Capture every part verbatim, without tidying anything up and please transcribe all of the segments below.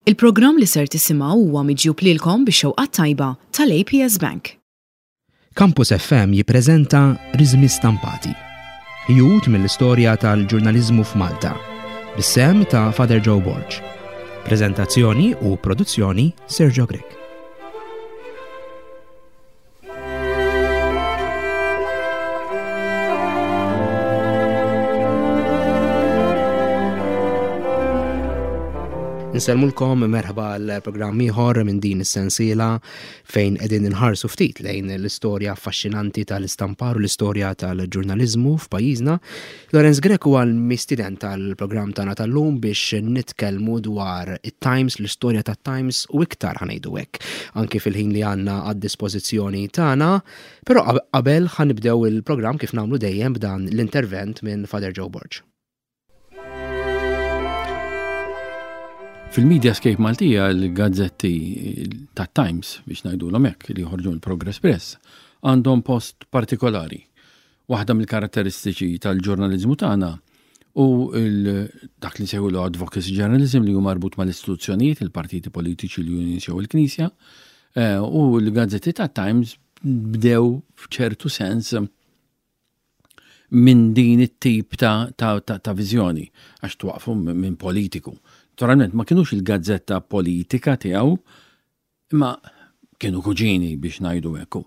Il-programm li ser tisimgħu huwa miġjub lilkom bix-xewqa tajba tal-A P S Bank. Campus F M jippreżenta Riżmi Stampati. Ħjut mill-istorja tal-ġurnaliżmu f'Malta. Bis-sehem ta' Father Joe Borg. Prezentazzjoni u produzzjoni, Sergio Grech. Nsellmulkom, merħba għal programm ieħor minn din is-sensiela fejn qegħdin inħarsu ftit lejn l-istorja affaxxinanti tal-istampar u l-istorja tal-ġurnaliżmu f'pajjiżna. Lorenz Grech huwa l-mistieden tal-programm tagħna tal-lum biex nitkellmu dwar it-Times, l-istorja tat-Times u iktar, ħa ngħidu hekk, anki fil-ħin li għandna għad-dispożizzjoni tagħna. Però qabel ħa nibdew il-programm kif nagħmlu dejjem b'dan l-intervent minn Father Joe Borg. Fil-Mediascape Maltija, l-gazzetti ta' Times, biex ngħidulhom hekk, li joħorġu l-Progress Press, għandhom post partikolari. Waħda mill-karatteristiċi tal-ġurnalizmu tagħna u dak li nsejħulu advocacy journalism, li hu marbut mal-istituzzjonijiet, il-partiti politiċi, l-unions jew il-Knisja, eh, u l-gazzetti ta' Times bdew f'ċertu sens minn din it-tip ta', ta, ta, ta viżjoni, għax twaqfu minn politiku. Naturalment ma kienux il-gazzetta politika tiegħu, imma kienu kuġini, biex ngħidu hekk.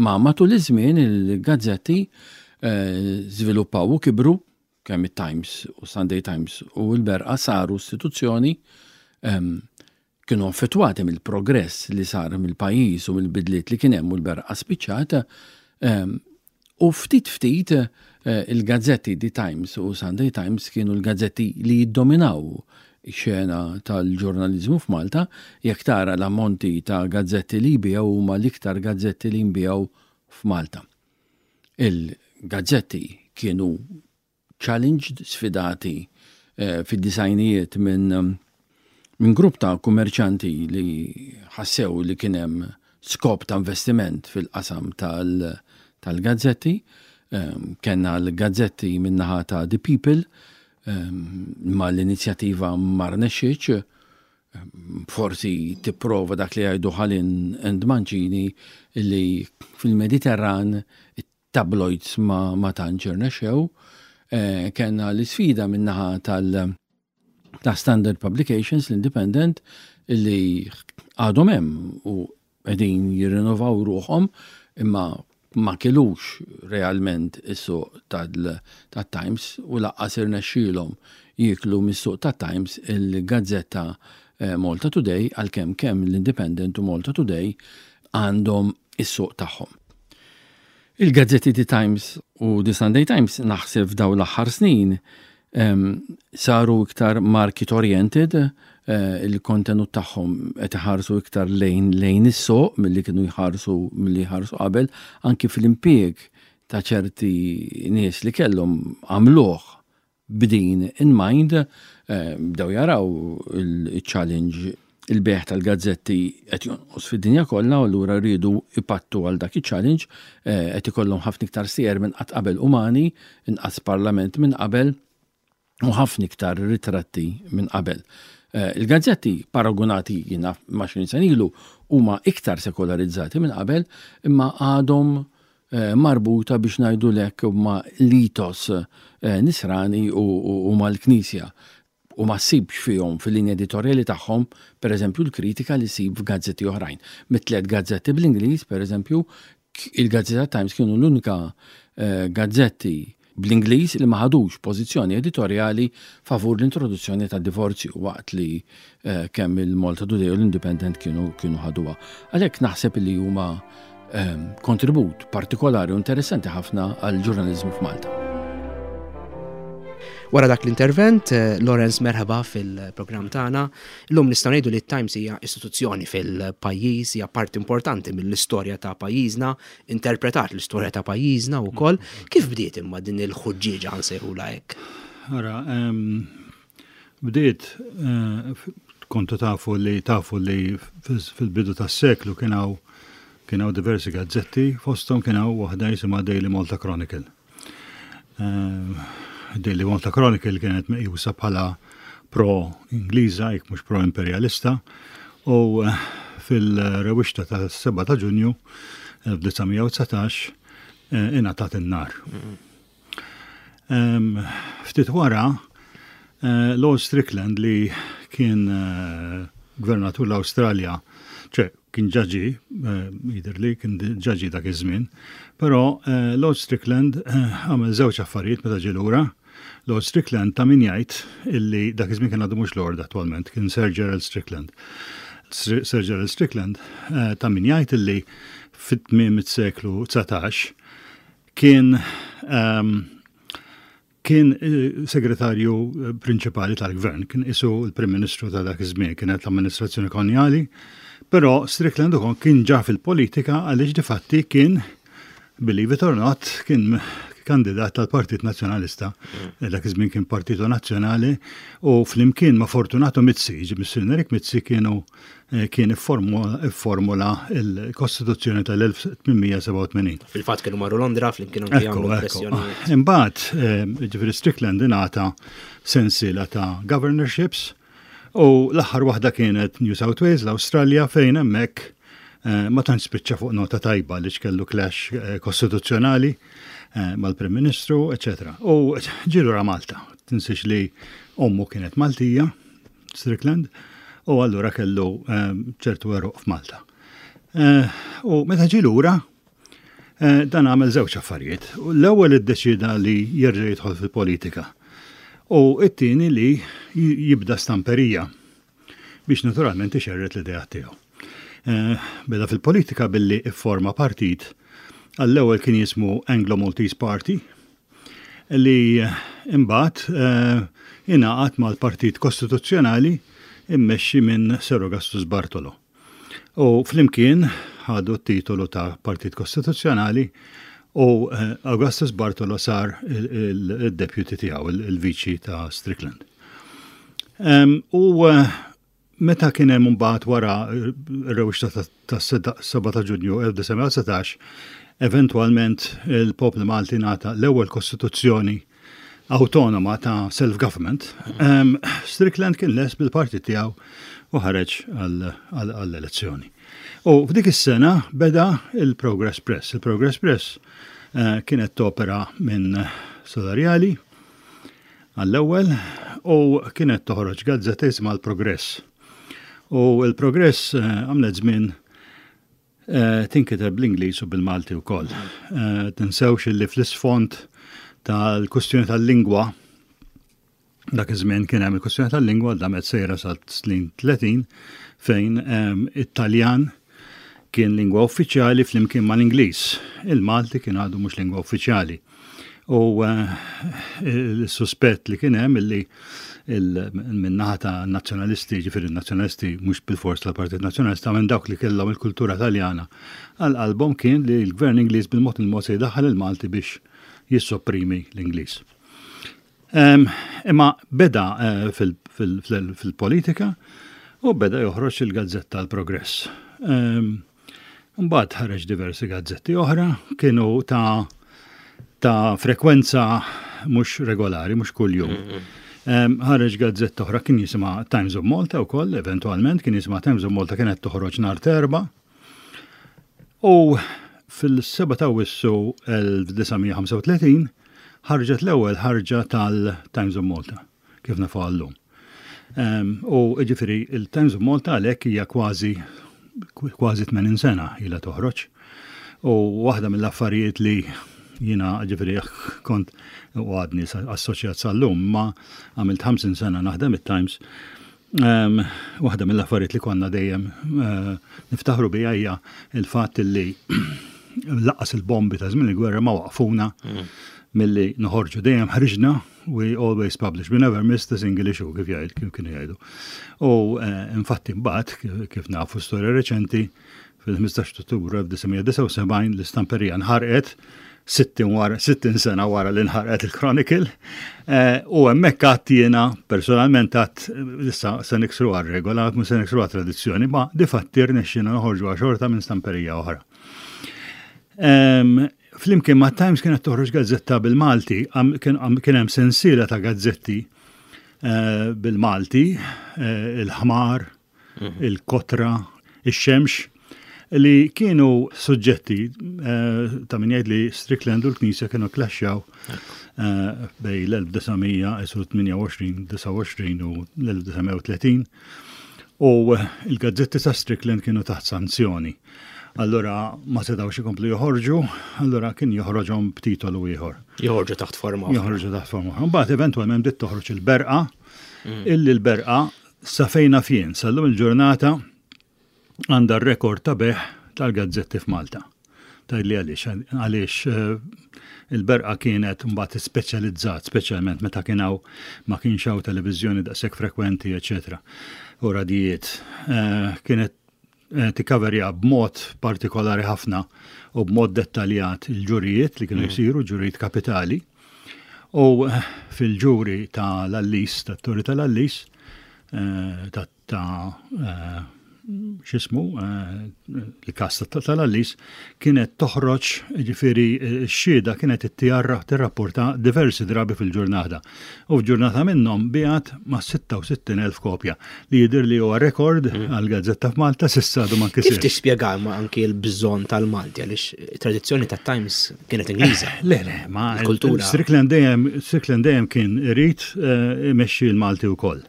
Ma matul iż-żmien il-gazzetti eh, żviluppaw u kibru, kemm it-Times u Sunday Times u l-Berqa saru istituzzjoni, ehm, kienu affettwati mill-progress li sar mill-pajjiż u mill-bidliet li kien hemm, u l-Berqa spiċċat ehm, u ftit ftit eh, il-gazzetti The Times u Sunday Times kienu l-gazzetti li jiddominaw xena tal-ġurnalizmu f'Malta. Jekk tara l-ammonti ta' gazzetti li jbiegħu, huma l-iktar gazzetti li jbiegħu f'Malta. Il-gazzetti kienu challenged, sfidati eh, fid-disgħinijiet minn min grupp ta' kummerċanti li ħassew li kien hemm skop ta' investiment fil-qasam tal-gazzetti. Eh, Kenna l-gazzetti min-naħa ta' The People, ma l-inizjattiva ma rnexxietx, forsi tipprova dak li jgħidu Ħalin and Mancini, li fil-Mediterran tabloids ma, ma tantx irnexxew. Eh, Kenna l-sfida min-naħa tal- ta' Standard Publications, l-Independent, li għadhom hemm u qegħdin jirrinnovaw ruħhom, imma ma kilux realment is-suq tat-Times u lanqas irnexxielhom jiklu mis-suq tat-Times il-gazzetta eh, Malta Today, għalkemm kemm l-Independent u Malta Today għandhom is-suq tagħhom. Il-gazzetti The Times u The Sunday Times, naħseb f'daw l-aħħar snin saru iktar market oriented, eh, il-kontenut tagħhom qed iħarsu iktar lejn lejn is-suq milli kienu jħarsu milli jħarsu qabel, anki fil-impjieg ta' ċerti nies li kellhom għamluh b'din in mind, eh, bdew jaraw il-challenge, il-bejgħ tal-gazzetti qed jonqos fid-dinja kollha u allura rridu ipattu għal dak il-challenge, eh, qed ikollhom ħafna iktar stejjer minn qatt qabel umani, inqas parlament minn qabel u ħafna iktar ritratti minn qabel. Eh, il-gazzetti paragonati jiena ma' għoxrin sena ilu huma iktar sekolarizzati minn qabel, imma għadhom eh, marbuta, biex ngħidu hekk, ma' l-ethos eh, nisrani u mal-Knisja u ma ssibx fihom fil-linja editorjali tagħhom, per eżempju, l-kritika li ssib f'gazzetti oħrajn. Mit-tliet gazzetti bl-Ingliż, per eżempju, il-Gazzetta Times kienu l-unika gazzetti bl-Ingliż li ma ħadux pożizzjoni editorjali favur l-introduzzjoni ta' divorzju, waqt li eh, kemm il-Malta Today u l-Independent kienu kienu ħaduha. Għalhekk naħseb li huma eh, kontribut partikolari u interessanti ħafna għal ġurnalizmu f'Malta. Wara dak l-intervent, eh, Lawrence, merħba fil-programm tagħna. Illum nistgħu ngħidu li Times hija istituzzjoni fil-pajjiż, hija parti importanti mill-istorja ta' pajjiżna, interpretat l-istorja ta' pajjiżna wkoll. Kif bdiet imma din il-ħuġġieġa, nsejħula hekk? Ara, bdiet eh, kontu tafu li tafu li fil-bidu tas-seklu kien hawn kien hawn diversi gazzetti, fosthom kien hawn waħda jisimha Daily Malta Chronicle. Eh, Daily Malta Chronicle kienet meqjusa bħala pro-Ingliża, jekk mhux pro-imperialista, u eh, fil-rewixta ta' sebgħa ta' Ġunju elf disa' mija u dsatax eh, ingħatat in-nar. Ftit wara, eh, Lord Strickland, li kien gvernatur l-Awstralja, ċe kien ġaġi, jidher li kien ġaġi dak iż-żmien, però Lord Strickland għamel żewġ affarijiet meta ġie lura. Lord Strickland, ta' min jgħid illi dak iż-żmien kien għadu mhux Lord attwalment, kien Sir Gerald Strickland. Sir Gerald Strickland, eh, ta' min jgħid illi fit-tmiem is-seklu dsatax kien um, kien eh, segretarju eh, prinċipali tal-gvern, kien isu l-Prim Ministru ta' dak iż-żmien, kienet l-amministrazzjoni kolonjali, però Strickland ukoll kien ġa fil-politika għaliex difatti kien, believe it or not, kien kandidat tal-Partit Nazzjonalista. Mm. Dak iż-żmien kien Partito Nazzjonali u flimkien ma' Fortunato Mizzi, ġi Eric Mizzi, kienu eh, kien ifformula il-Kostituzzjoni tal-elf tmien mija sebgħa u tmenin. Fil-fatt kienu marru Londra flimkien anke jagħmlu pressjoni. Imbagħad, eh, ġifieri Strickland ingħata sensiela ta' governorships u l-aħħar waħda kienet New South Wales, l-Awstralja, fejn hemmhekk eh, ma tantx spiċċa fuq nota tajba li kellu clash kostituzzjonali Eh, mal-Prim Ministru, eċċetera. U ġie lura Malta. Tinsiex li ommu kienet Maltija, Strickland, u allura kellu eh, ċertu għeruq f'Malta. Eh, u meta ġie lura, dan għamel żewġ affarijiet. L-ewwel iddeċida li jerġa' jidħol fil-politika. U it-tieni li jibda stamperija biex naturalment ixerred l-idea tiegħu. Beda fil-politika billi ifforma partit. Għall-ewwel kien jismu Anglo-Maltese Party, li imbagħad eh, ingħaqad mal-Partit Kostituzzjonali immexxi minn Sir Augustus Bartolo. U flimkien ħadu t-titolu ta' Partit Kostituzzjonali u eh, Augustus Bartolo sar il-deputy tiegħu, il-viċi ta' Strickland. U eh, meta kien hemm mbagħad wara r-rewixta ta' sebgħa ta' Ġunju elf disa' mija dsatax, eventualment il-poplu Malti ngħata l-ewwel kostituzzjoni autonoma ta' self-government, um, Strickland kien les bil-partit tiegħu u ħareġ għall-elezzjoni. U f'dik is-sena beda il-Progress Press. Il-Progress Press uh, kienet topera minn Solarjali għall-ewwel u kienet toħroġ gazzetta jisimha l-Progress. U il-Progress eh, għamlet żmien eh, tinkiteb bl-Ingliż u bil-Malti wkoll. Eh, tinsewx li fl-isfond tal-kustjoni tal-lingwa, dak iż-żmien kien hemm il-kustjoni tal-lingwa damet sejra sa snin tletin, fejn it-Taljan kien lingwa uffiċjali flimkien mal-Ingliż. Il-Malti kien għadu mhux lingwa uffiċjali. U il-suspett li kien hemm illi min-naħa ta' nazzjonalisti, ġifieri nazzjonalisti mhux bil-fors tal-Partit Nazzjonalista, minn dawk li kellhom il-kultura Taljana għal qalbhom, kien li l-Gvern Ingliż bil-mod il-mod se jdaħħal il-Malti biex jissopprimi l-Ingliż. Imma beda eh, fil-politika u beda joħroġ il-gazzetta l-Progress. Mbagħad ħareġ diversi gazzetti oħra, kienu ta' ta' frekwenza mhux regolari, mhux kuljum. Ħareġ gazzetta oħra kien jisimha Times of Malta wkoll, eventualment kien jisimha Times of Malta, kienet toħroġ nhar t'Erbgħa. U fil-sebgħa ta' Awwissu elf disa' mija ħamsa u tletin ħarġet l-ewwel ħarġa tal-Times of Malta, kif nafu għallum. U ġifieri il-Times of Malta għalhekk hija kważi kważi tmenin sena ilha toħroġ. U waħda mill-affarijiet li jiena ġifieri kont u għadni assoċjat sal-lum, ma għamilt ħamsin sena naħdem it-Times. Um, waħda mill-affarijiet li konna dejjem uh, niftaħru bija hija il-fatt li lanqas il-bombi ta' żmien il-gwerra ma waqfuna mm. milli noħorġu. Dejjem ħriġna, we always publish, we never missed a single issue, kif jgħid, kif kienu jgħidu. U uh, infatti mbagħad, kif nafu storja reċenti, fil-ħmistax Ottubru elf disa' mija disgħa u sebgħin l-istamperija nħarqet, sittin sena wara li nħarqet il-Chronicle. Eh, u hemmhekk għedt jiena personalment, għedt issa se niksru għar-regola, mhux se niksru tradizzjoni, ma difatti rnexxina noħorġu xorta minn stamperija oħra. Flimkien ma' Times kienet toħroġ gazzetta bil-Malti, kien hemm sensiela ta' gazzetti. eh, bil-Malti, eh, il-ħmar, il-kotra, ix-xemx, li kienu suġġetti eh, ta' min jgħid li Strickland u l-Knisja kienu klaxxjaw eh, bejn l-elf disa' mija tmienja u għoxrin, disgħa u għoxrin u l-elf disa' mija u tletin u il-gazzetti ta' Strickland kienu taħt sanzjoni. Allora ma setawx ikomplu joħorġu, allora kien joħroġhom b'titolu ieħor. Joħorġu taħt forma oħra. Joħorġu taħt forma oħra. Mbagħad eventwalment bdiet toħroġ il-Berqa, illi l-Berqa sa fejn naf jien, sal-lum il-ġurnata għandha r-rekord ta' bejgħ tal-gazzetti f'Malta. Tgħidli għaliex, għaliex eh, il-Berqa kienet mbagħad speċjalizzat, speċjalment meta kien hawn ma kienx hawn televiżjoni daqshekk frekwenti, eċetera. U radijiet. Eh, Kienet eh, tikkaverja b'mod partikolari ħafna u b'mod dettaljat il-ġurijiet li kienu jsiru, ġurijiet kapitali. U eh, fil-ġuri tal-Għallis, tat-Torri tal-Għallis, eh, ta' ta' eh, x'jismu, eh, il-kas tal-Għallis, kienet toħroġ, ġifieri, x-xhieda kienet ittijarra tirrapporta diversi drabi fil-ġurnata. U f'ġurnata minnhom biegħet ma' sitta u sittin elf kopja li jidher li huwa rekord għal-gazzetta f'Malta s'issa għadu ma Kif nkisirx. tispjega ma anki l-bżonn tal-Malti, għaliex tradizzjoni ta' Times kienet Ingliża? Le, le, ma Il-kultura. Strickland dejjem Strickland dejjem kien irid eh, imexxi l-Malti wkoll.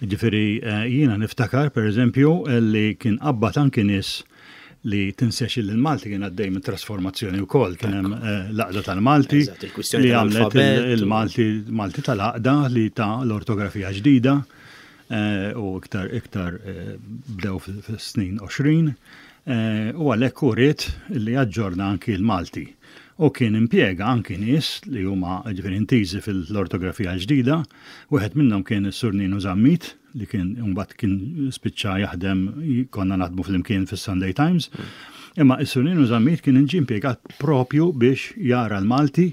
Ġifieri eh, jiena niftakar per eżempju li kien qabbad anki nies li tinsex li l-Malti kien għaddej minn trasformazzjoni wkoll, kien hemm eh, l-Għaqda tal-Malti Eżatt, il-kwistjoni li għamlet tal-alfabet. il-Malti Malti tal-Għaqda li ta' l-ortografija ġdida eh, u iktar iktar eh, bdew fis-snin għoxrin eh, u għalhekk uriet li aġġorna anki l-Malti. U kien impjega anki nies li huma ġifieri intiżi fil-ortografija ġdida, wieħed minnhom kien is-Sur Ninu Zammit li kien mbagħad kien spiċċa jaħdem, konna naħdmu flimkien fis-Sunday Times. Imma is-Sur Ninu Zammit kien inġi impjegat propju biex jara l-Malti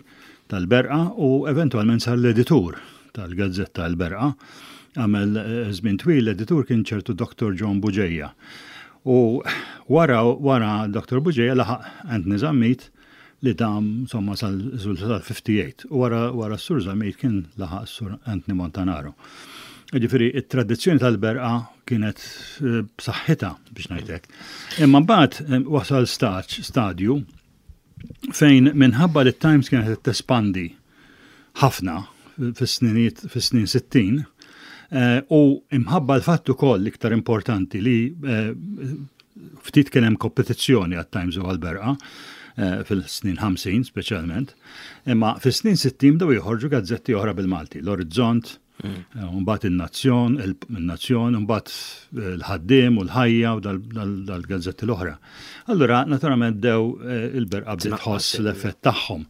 tal-Berqa u eventualment sar l-editur tal-gazzetta l-Berqa. Għamel eh, żmien twil l-editur kien ċertu Doktor John Bugeja. U wara wara Doktor Bugeja laħaq Anthony Zammit li dam insomma sal-ħamsa u ħamsin. U wara wara s-Sur Zammit kien laħaq s-Sur Anthony Montanaro. Ġifieri, it-tradizzjoni tal-Berqa kienet eh, b'saħħitha biex ngħidlek. Imma mbagħad eh, wasal staġ, stadju fejn minħabba li t-Times kienet tespandi ħafna fis-sniniet fis-snin sittin eh, u imħabba l-fatt ukoll iktar importanti li eh, ftit kien hemm kompetizzjoni għat-Times u għal-Berqa eh, fil-snin ħamsin speċjalment, imma fis-snin sittin bdew joħorġu gazzetti oħra bil-Malti, l-Orizzont, eh, mbagħad in-Nazzjon, il-Nazzjon, mbagħad l-Ħaddiem u l-Ħajja u dal-gazzetti l-oħra. Allura, naturalment bdew eh, il-Berqa bdiet tħoss l-effett tagħhom.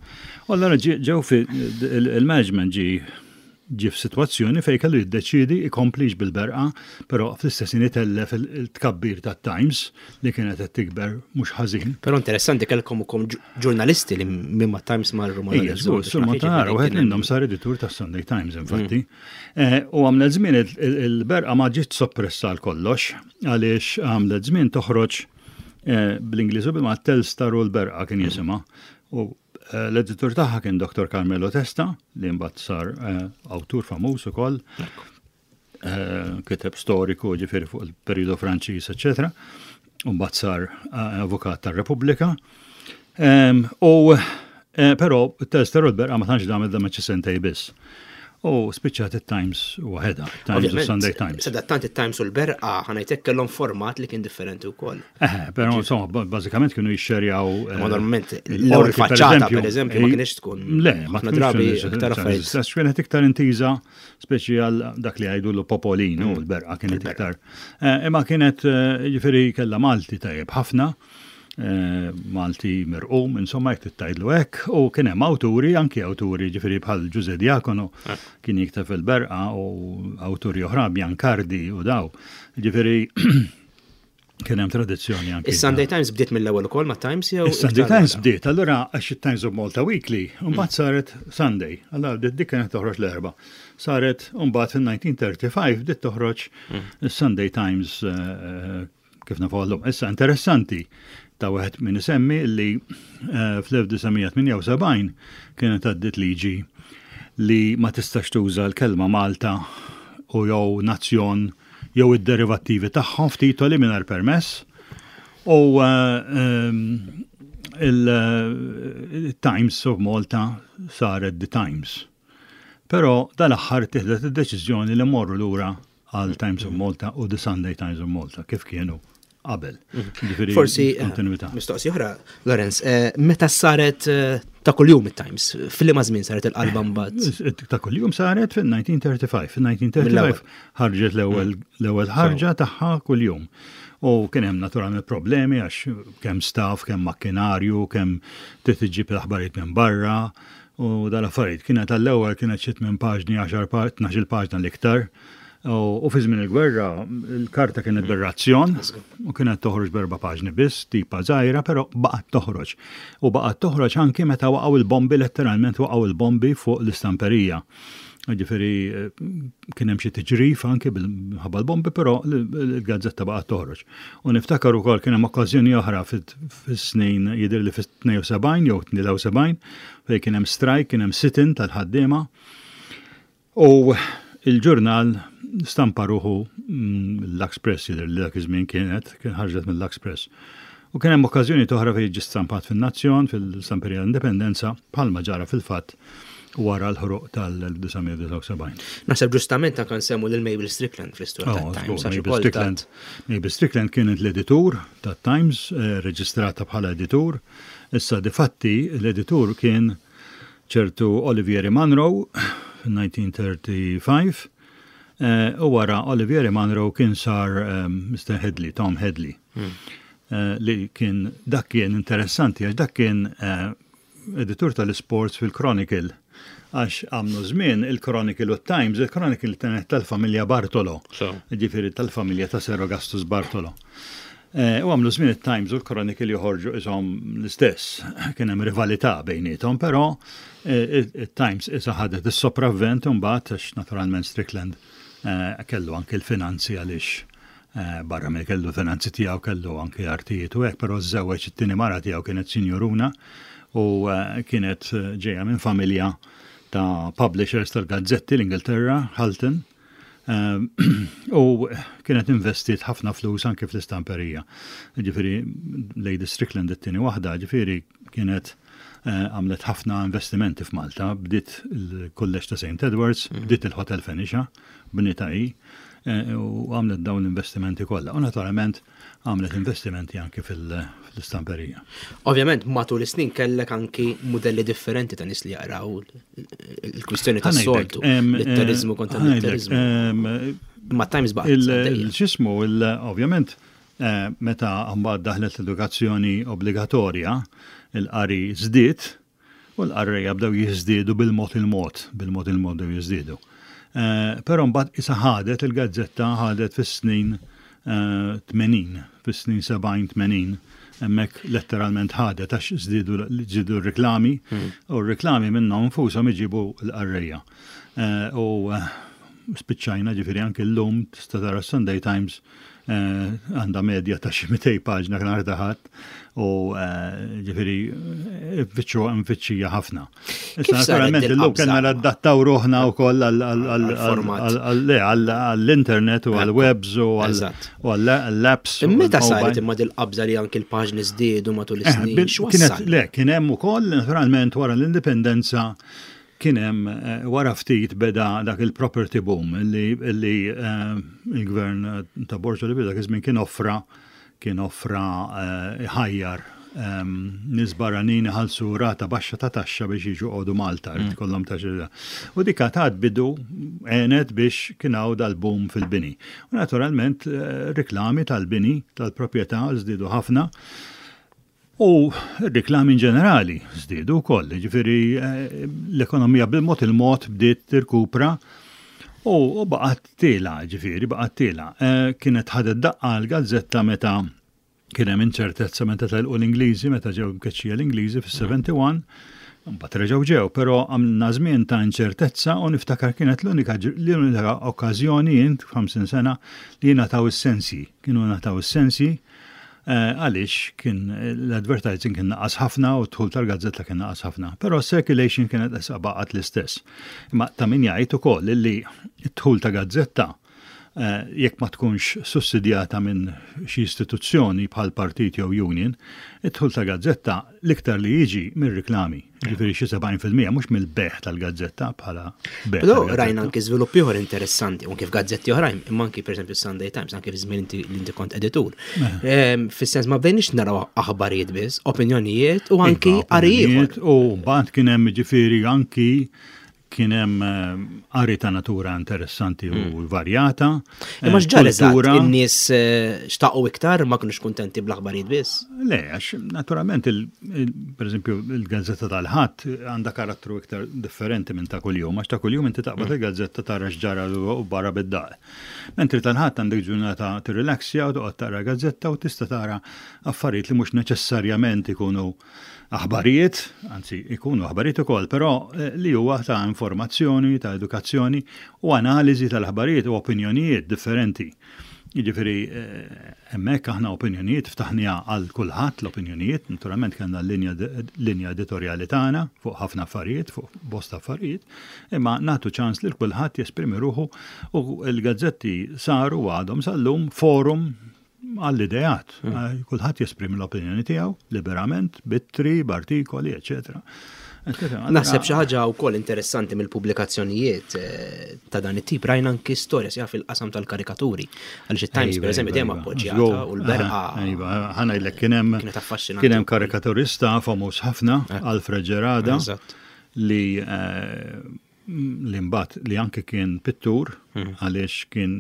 U allura ġew fi il-management ġi ġi f'sitwazzjoni fejn kellu jiddeċidi ikomplix bil-Berqa, però fl-istess ħin itellef il-tkabbir tat-Times li kienet qed tikber mhux ħażin. Però interessanti, kellkom ukoll ġurnalisti li minn ma' Times marru ma' Ija, żgur, Sur Montanaro, wieħed minnhom sar editur tas-Sunday Times infatti. Eh, U għamlet żmien il-Berqa ma ġiet soppressa għal kollox, għaliex għamlet żmien toħroġ eh, bl-Ingliż u bil Telstar u l-Berqa kien jisimha. U eh, l-editur tagħha kien Doktor Carmelo Testa, li mbagħad sar eh, awtur famuż ukoll. Eh, kiteb storiku, ġifieri fuq il-periodu Franċiż, eċetera. U mbagħad sar avukat tar-Repubblika. Em, U eh, però Telstar u l-Berqa ma tantx damet damet xi sentej biss. U spiċċat it-Times waħedha, Times u Sunday Times. Sadattant it-Times u l-Berqa, ħa ngħidlek, kellhom format li kien differenti wkoll. Eh, però insomma, ba- bażikament kienu jixxerjaw. eh, Ma normalment il-qorti, l-ewwel faċċata per eżempju ma kienx tkun Le, ma ħafna tkunx drabi stess, iktar affarijiet. Kienet iktar intiża speċi għal dak li għajdu l-popolinu, l-Berqa kienet iktar. Eh, Imma kienet eh, ġifieri kella Malti tajjeb ħafna, eh, Malti mirqum, insomma, jekk tgħidlu hekk, u kien hemm awturi, anki awturi ġifieri bħal Ġuże Diacono kien jikteb fil-Berqa u awturi oħra, Biancardi u daw. Ġifieri kien hemm tradizzjoni anki. Is-Sunday Times bdiet mill-ewwel ukoll ma' Times jew Is-Sunday iktar Times wara? bdiet, allura għax it-Times of Malta Weekly, mbagħad saret Sunday, allura bdiet dik kienet toħroġ l-Erbgħa. Saret mbagħad fil-elf disa' mija u tlieta u tletin bdiet toħroġ is-Sunday Times eh, kif nafu llum. Issa interessanti ta' wieħed min isemmi li eh, fl-elf disa' mija tmienja u sebgħin kienet għaddiet liġi li ma tistax tuża l-kelma Malta u jew Nazzjon jew id-derivattivi tagħhom f'titoli mingħajr permess. U il-Times of Malta saret The Times. Però dal-aħħar tieħdet id-deċiżjoni li morru lura għal Times of Malta u The Sunday Times of Malta kif kienu qabel. Ġifieri Forsi, eh, kontinuità. Mistoqsija oħra, Lorenz, eh, meta saret eh, ta' kuljum it-Times, fil-liema żmien saret il-qalba mbagħad? Ta' kuljum saret fil-elf disa' mija u tlieta u tletin. Fil-elf disa' mija u tlieta u tletin Mill-ewwel. ħarġet l-ewwel l-ewwel ħarġa tagħha kuljum. U kien hemm naturalment problemi għax kemm staff, kemm makkinarju, kemm trid iġġib l-aħbarijiet minn barra u dal-affarijiet. Kienet għall-ewwel kienet xi minn paġni għaxar tnax-il paġna l-iktar. U u fi żmien il-gwerra il-karta kienet bir-razzjon u kienet toħroġ berba paġni biss, tipa żgħira, però baqgħet toħroġ. U baqgħet toħroġ anki meta waqgħu il-bombi, letteralment waqgħu il-bombi fuq l-istamperija. Ġifieri eh, kien hemm xi tiġrif anki bil-ħabba l-bombi, però l-gazzetta baqgħet toħroġ. U niftakar ukoll kien hemm okkażjoni oħra fis-snin, jidher li fis-tnejn u sebgħin jew tlieta u sebgħin, fejn kien hemm strike, kien hemm sit-in tal-ħaddiema. U il-ġurnal stampa ruħu mm, l-Lux Press, jidher li dak iż-żmien kienet, kien ħarġet mill-Lux Press. U kien hemm okkażjoni oħra fejn ġie stampat fin-Nazzjon, fil-Stamperija Indipendenza, bħalma ġara fil-fatt wara l-ħruq tal-elf disa' mija u disgħa u sebgħin. Naħseb ġustament anke nsemmu lil Mabel Strickland fl-istorja Oh, tat-Times. żgur, għax Mabel ukoll Strickland, Mabel Strickland kienet l-editur tat-Times, eh, reġistrata bħala editur. Issa difatti l-editur kien ċertu Olivieri Munro fil-elf disa' mija u tlieta u tletin, eh, u wara Olivieri Munro kien sar eh, Mister Headley, Tom Headley. Eh, li kien dak kien interessanti għax dak kien eh, editur tal-sports fil-Chronicle, għax għamlu żmien il-Chronicle u Times, il-Chronicle kienet tal-familja Bartolo, So. ġifieri tal-familja ta' Sir Augustus Bartolo. Eh, U għamlu żmien il-Times u l-Chronicle joħorġu isom l-istess, kien hemm rivalità bejniethom, però eh, il-Times issa ħadet is-sopravvent mbagħad għax naturalment Strickland eh, kellu anke l-finanzi, għaliex eh, barra mill kellu finanzi tiegħu kellu anke artijiet u hekk, però żewweġ, it-tieni mara tiegħu kienet sinjuruna u eh, kienet eh, ġejja minn familja ta' publishers tal-gazzetti l-Ingilterra, Halton, eh, u kienet investit ħafna flus anke fl-istamperija. Ġifieri, Lady Strickland, it-tieni waħda, ġifieri kienet eh, għamlet ħafna investimenti f'Malta, bdiet il-Kulleġġ ta' Saint Edwards, bdiet il-Hotel Phoenicia, bnietha hi, eh, u għamlet dawn l-investimenti kollha. U naturalment għamlet investimenti anke fil- fil-istamperija. Ovvjament, matul is-snin kellek anki modelli differenti ta' nies li jaqraw, il-kwistjoni ta' soltu, litterizmu kontra litterizmu. Ma Times baqgħet għaddejja. Il-xismu, ovvjament, eh, meta mbagħad daħlet l-edukazzjoni obbligatorja, il-qari żdied u l-qarrejja bdew jiżdiedu bil-mod il-mod, bil-mod il-mod bdew jiżdiedu. Eh, Però mbagħad issa ħadet il-gazzetta, ħadet fis-snin eh, tmenin, fis-snin sebgħin tmenin, hemmhekk letteralment ħadet għax żdiedu żdiedu r-reklami u r-reklami minnhom infushom iġibu l-qarrejja. Eh, U eh, spiċċajna, ġifieri anke l-lum tista' tara Sunday Times eh, għandha medja ta' xi mitejn paġna nhar ta' Ħadd u eh, ġifieri eh, nfittxu mfittxija ħafna. Kif Issa saret naturalment dil illum qabża? kellna nadattaw ruħna wkoll Għall-format. għall-internet u għall-webs u Eżatt. għall-apps. U Meta għall-mobile. saret imma dil-qabża li anki l-paġni żdiedu matul Eh, is-snin? bil- Kienet, X'wassal? le, kien hemm ukoll naturalment wara l-indipendenza kien hemm eh, wara ftit beda dak il-property boom li, li eh, il-gvern ta' Borg Olivier dak iż-żmien kien offra kien offra eh, ħajjar um, nies barranin iħallsu rata baxxa ta' taxxa biex jiġu joqogħdu Malta, mm. kollhom ta' xi. U dik tat bidu, għenet biex kien hawn dal-boom fil-bini. U naturalment eh, reklami tal-bini, tal-proprjetà żdiedu ħafna. U reklami in ġenerali żdiedu wkoll, ġifieri eh, l-ekonomija bil-mod il-mod bdiet tirkupra u u baqgħet tiela', ġifieri baqgħet tiela'. Eh, Kienet ħadet daqqa l-gazzetta meta kien hemm inċertezza meta telqu l-Ingliżi, meta ġew mkeċċija l-Ingliżi fis-sebgħa u sebgħin, mbagħad reġgħu ġew, però għamilna żmien ta' inċertezza u niftakar kienet l-unika l-unika okkażjoni jien f'ħamsin sena li ngħataw is-sensi. Kienu ngħataw is-sensi. Eh, għaliex kien l-advertising kien naqas ħafna u d-dħul tal-gazzetta kien naqas ħafna. Però circulation kienet issa baqgħet l-istess. Imma ta' min jgħid ukoll li d-dħul ta' gazzetta eh, jekk ma tkunx sussidjata minn xi istituzzjoni bħal partit jew union, id-dħul ta' gazzetta l-iktar li jiġi mir-riklami. Ġifieri xi sebgħin fil-mija mhux mill-bejgħ tal-gazzetta bħala bejgħ Però tal-gazzetta. Rajna anki żviluppi oħra interessanti, u kif gazzetti oħrajn, imma anki pereżempju Sunday Times, anki fi żmien inti li inti kont editur. Ehm, Fis-sens ma bdejniex naraw aħbarijiet biss, opinjonijiet u anki Iva, qari ieħor. opinjonijiet. U mbagħad kien hemm, ġifieri, anki kien hemm eh, qari ta' natura interessanti u varjata. Hmm. Imma Eh, x'ġara eżatt? Kultura. In-nies eh, xtaqu iktar, ma kinux kuntenti bl-aħbarijiet biss? Le, għax naturalment, il, il, per eżempju, il-gazzetta tal-Ħadd għandha karattru iktar differenti minn ta' kuljum, għax ta' kuljum inti taqbad il-gazzetta, tara x'ġara u barra bid-daq. Mentri tal-Ħadd għandek ġurnata tirrilaxja u toqgħod taqra gazzetta u tista' tara affarijiet li mhux neċessarjament ikunu aħbarijiet, anzi ikunu aħbarijiet ukoll, però eh, li huwa ta' informazzjoni, ta' edukazzjoni u analiżi tal-aħbarijiet u opinjonijiet differenti. Jiġifieri eh, hemmhekk aħna opinjonijiet ftaħniha għal kulħadd l-opinjonijiet, naturalment kellna l-linja linja editorjali tagħna fuq ħafna affarijiet, fuq bosta affarijiet, imma nagħtu ċans lil kulħadd jesprimi ruħu u l-gazzetti saru u għadhom sal-lum forum għall-ideat. Eh, Kulħadd jesprimi l-opinjoni tiegħu liberament, b'ittri, b'artikoli, eċetera. Eċetera. Naħseb xi ħaġa wkoll interessanti mill-pubblikazzjonijiet eh, ta' dan it-tip, rajna anki storja sja fil-qasam tal-karikaturi. Għaliex it-Times Iva, pereżempju iva, dejjem iva. appoġġjata Żgur. u l-Berqa. Aha, iva, ħa ngħidlek kien hemm Kienet affaxxinanti kien hemm wkoll. karikaturista famuż ħafna, Alfred Gerada, Eżatt. li eh, li mbagħad li anke kien pittur Hmm. għaliex kien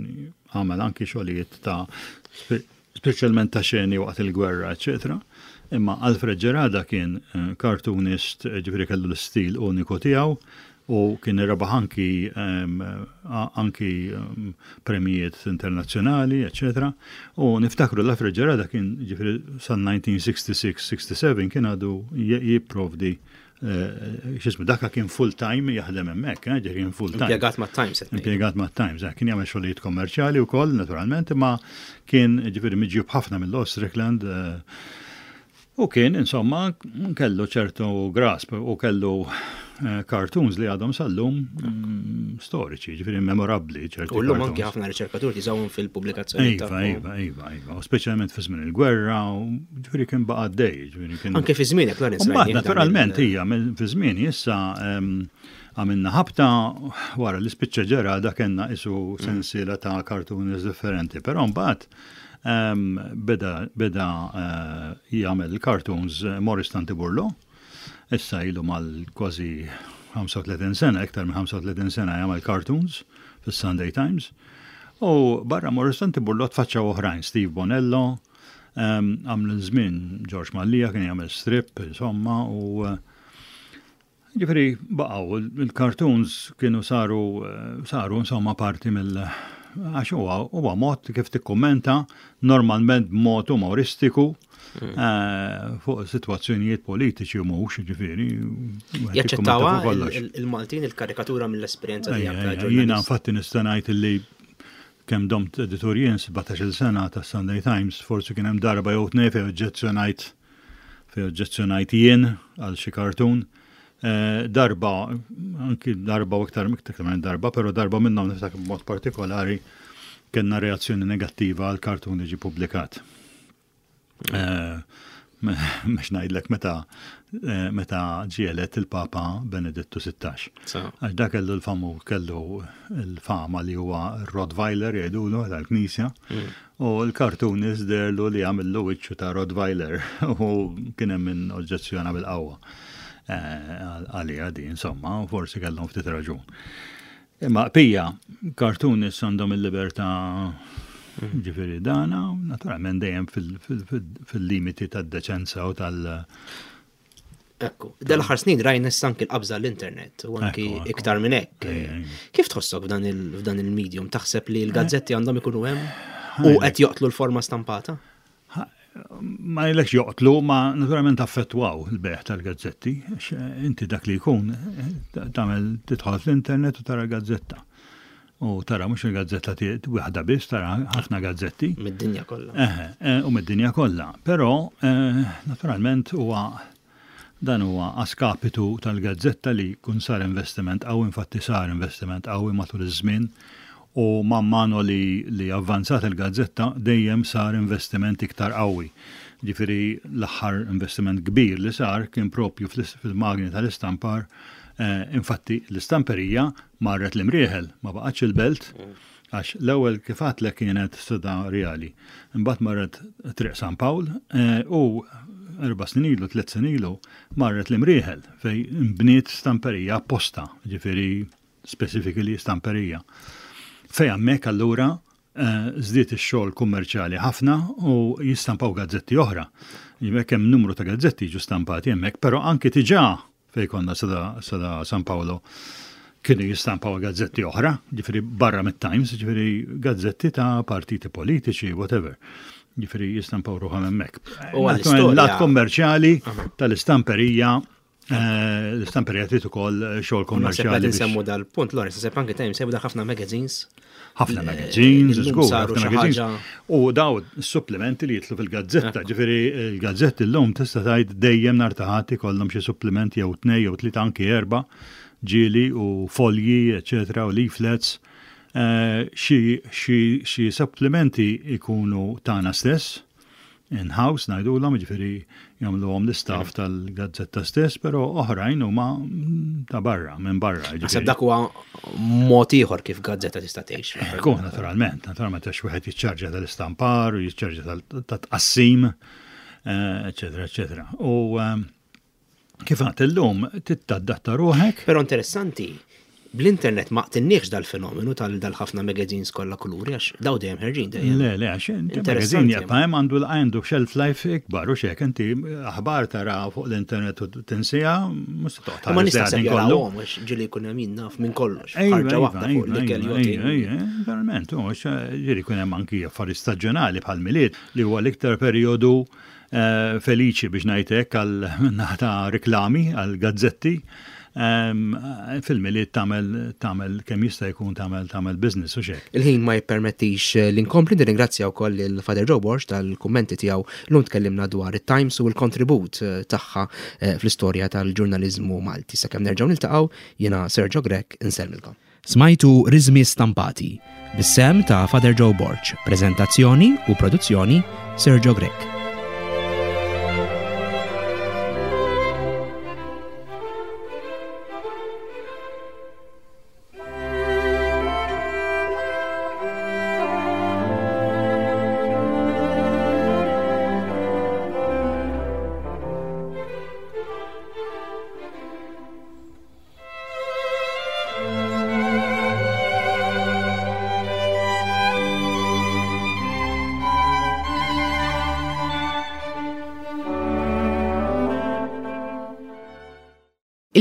għamel anki xogħlijiet ta' spe- speċjalment ta' xeni waqt il-gwerra, eċetera. Imma Alfred Gerada kien eh, cartoonist, eh, ġifieri kellu l-istil uniku tiegħu u kien rebaħ anki em, a- anki em, premijiet internazzjonali, eċetera. U niftakru l-Alfred Gerada kien, ġifieri, sal-elf disa' mija u sitta u disgħin kien għadu je- jipprovdi eh, x'ismu, daka kien full time jaħdem hemmhekk, eh, ġifieri kien full time. Impjegat ma' Times qed ngħid. Impjegat ma' Times, eh, kien jagħmel xogħlijiet kommerċjali wkoll naturalment, imma kien, ġifieri, miġjub ħafna mill Strickland eh, u kien, insomma, kellu ċertu grasp u kellu eh, cartoons li għadhom sal-lum mm, storiċi, ġifieri memorabbli ċerti U llum anki cartoons. ħafna riċerkaturi jużawhom fil-pubblikazzjoni Iva, tagħhom. iva, iva, iva, u speċjalment fi żmien il-gwerra, u ġifieri kien baqa' għaddej, ġifieri kien. Anke fi żmienek, Lorenz. Mbagħad rajni dan naturalment il- hija mill- fi żmien issa em, għamilna ħabta wara li spiċċa Gerada kellna isu sensiela ta' cartoons differenti, però mbagħad em, beda beda eh, jagħmel cartoons eh, Morris Tanti Burlo. Issa ilu mal kważi ħamsa u tletin sena, iktar minn ħamsa u tletin sena jagħmel cartoons fis-Sunday Times. U barra Morris Tanti Burlo tfaċċaw oħrajn, Steve Bonello, um, għamlu żmien George Mallia kien jagħmel strip, insomma, u eh, ġifieri baqgħu il-cartoons kienu saru eh, saru insomma parti mill għax huwa huwa mod kif tikkummenta normalment b'mod umoristiku eh, fuq sitwazzjonijiet politiċi u mhux, ġifieri wieħed jikkummenta Jaċċettawha fuq kollox. il- il-Maltin il-karikatura mill-esperjenza Ejja, tiegħek ta' ejja, jiena ġurnalist? infatti nista' ngħid illi kemm domt editur jien, sbatax-il sena ta' Sunday Times, forsi kien hemm darba jew tnejn fejn oġġezzjonajt fejn oġġezzjonajt jien għal xi cartoon. Eh, darba, anki darba u iktar iktar minn darba, però darba minnhom niftakar b'mod partikolari kellna reazzjoni negattiva għal cartoon li ġi publikat. Eh, Mhux ngħidlek meta eh, meta ġie elett il-Papa Benedittu sittax. Sa. Għax da kellu l-famu kellu l-fama li huwa Rottweiler jgħidulu tal-Knisja. U l-cartoonist deherlu li għamillu wiċċu ta' Rottweiler u kien hemm min oġġezzjona bil-qawwa eh, għalija di, insomma, u forsi kellhom ftit raġun. Imma pija, cartoonist għandhom il-libertà, ġifieri dana, naturalment dejjem fil- fil- fil- fil-limiti tad-deċenza u tal- Ekku, dal-aħħar snin rajna issa anki l-qabża l-internet u anki Ekku, ekku. iktar minn hekk. Ejja, ejja. Kif tħossok f'dan il- f'dan il-medium? Taħseb li l-gazzetti għandhom ikunu hemm u qed joqtlu l-forma stampata? Ma jlekx joqtlu, ma naturalment affettwaw il-bejgħ tal-gazzetti, għax, eh, inti dak li jkun, eh, tagħmel tidħol fl-internet u tara gazzetta. U tara mhux il-gazzetta waħda biss, tara ħafna gazzetti. Mid-dinja kollha. Eh, u mid-dinja kollha. Però eh, naturalment huwa dan huwa a skapitu tal-gazzetta li kun sar investiment qawwi, infatti sar investiment qawwi matul iż-żmien u man mano li, li avvanzat il-gazzetta dejjem sar investiment iktar qawwi. Ġifieri l-aħħar investiment kbir li sar kien propju fil-magni tal-istampar. Eh, infatti l-istamperija marret l-Imrieħel, ma baqgħetx il-Belt, għax l-ewwel kif għedtlek kienet Strada Rjali. Imbagħad marret Triq San Pawl eh, u erba' snin ilu, tliet snin ilu, marret l-Imrieħel fejn imbniet stamperija apposta, ġifieri specifically stamperija. Fejn hemmhekk allura eh, żdied ix-xogħol kummerċjali ħafna u jistampaw gazzetti oħra. Hemmhekk hemm numru ta' gazzetti jiġu stampati hemmhekk, però anki diġà fejn konna Strada, Strada San Paolo kienu jistampaw gazzetti oħra, ġifieri barra mit-Times, ġifieri gazzetti ta' partiti politiċi, whatever. Ġifieri jistampaw ruħhom hemmhekk. U għall-istorja- Lat kommerċjali tal-istamperija, eh, l-istamperija trid ukoll xogħol Naħseb kommerċjali. qed biex- insemmu dal-punt, Lawrence, naħseb anke Times sejbu ħafna magazines. ħafna magazines, Illum żgur, saru ħafna xi magazines. ħaġa- U daw supplementi li jitlu fil-gazzetta, ġifieri il-gazzetti l-lum tista' tgħid dejjem nhar ta' Ħadd ikollhom xi supplementi jew tnej jew tlieta anki erba' ġieli u folji, eċetera, u leaflets. Eh, Xi xi xi supplementi ikunu tagħna stess, in-house ngħidulhom, ġifieri jagħmluhom l-istaff tal-gazzetta stess, però oħrajn huma ta' barra, minn barra. Naħseb ġifieri. dak huwa mod ieħor kif gazzetta tista' tgħix. Ekku, naturalment, naturalment għax wieħed jiċċarġa tal-istampar u jiċċarġa tal- tat-tqassim, eh, eċetera, eċetera. U ehm, kif għedt illum tadatta ruħek, Però interessanti, bl-internet ma qtilniex dal-fenomenu tal dal-ħafna magazines kollha kuluri għax daw dejjem ħerġin dejjem. Le, le, għax inti Interessanti. magazine jibqa' hemm għandu għandu shelf life ikbar u xek, inti aħbar tara fuq l-internet u tinsieha, mhux se toqgħod Ma tħares nista' lejha sepp din kollu. jarawhom għax ġieli jkun hemm jien naf minn kollox. Ejwa, Ħarġa ejwa, waħda fuq ejwa, l-ikel ejwa, yachting. ejwa, ejwa, Verament, u għax ġieli jkun hemm anki affarijiet staġjonali bħal Milied li huwa l-iktar perjodu eh, feliċi biex ngħidlek għal naħa ta' reklami, għal gazzetti. Em, Fil-Milied tagħmel tagħmel kemm jista' jkun tagħmel tagħmel business u xek. Il-ħin ma jippermettix eh, li nkompli nirringrazzja wkoll il-Father Joe Borg tal-kummenti tiegħu llum tkellimna dwar it-Times u l-kontribut eh, tagħha eh, fl-istorja tal-ġurnaliżmu Malti. Sakemm nerġgħu niltaqgħu jiena Sergio Grech insellmilkom. Smajtu Rizmi Stampati bis-sehem ta' Father Joe Borg, preżentazzjoni u produzzjoni Sergio Grech.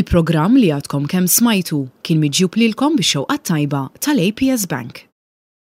Il-programm li għadkom kemm smajtu kien miġjub lilkom bix-xewqa tajba tal-A P S Bank.